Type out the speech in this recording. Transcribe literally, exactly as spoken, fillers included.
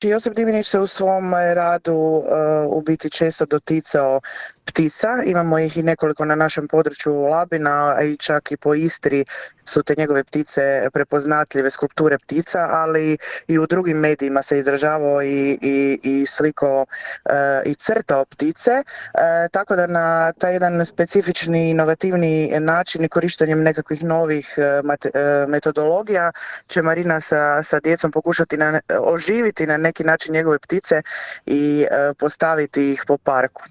Josip Divinić se u svom radu uh, u biti često doticao ptica, imamo ih i nekoliko na našem području Labina, a i čak i po Istri su te njegove ptice prepoznatljive, skulpture ptica, ali i u drugim medijima se izražavao i, i, i sliko uh, i crtao ptice, uh, tako da na taj jedan specifični, inovativni način i korištenjem nekakvih novih uh, mate, uh, metodologija će Marina sa, sa djecom pokušati na, oživiti na neki način njegove ptice i uh, postaviti ih po parku.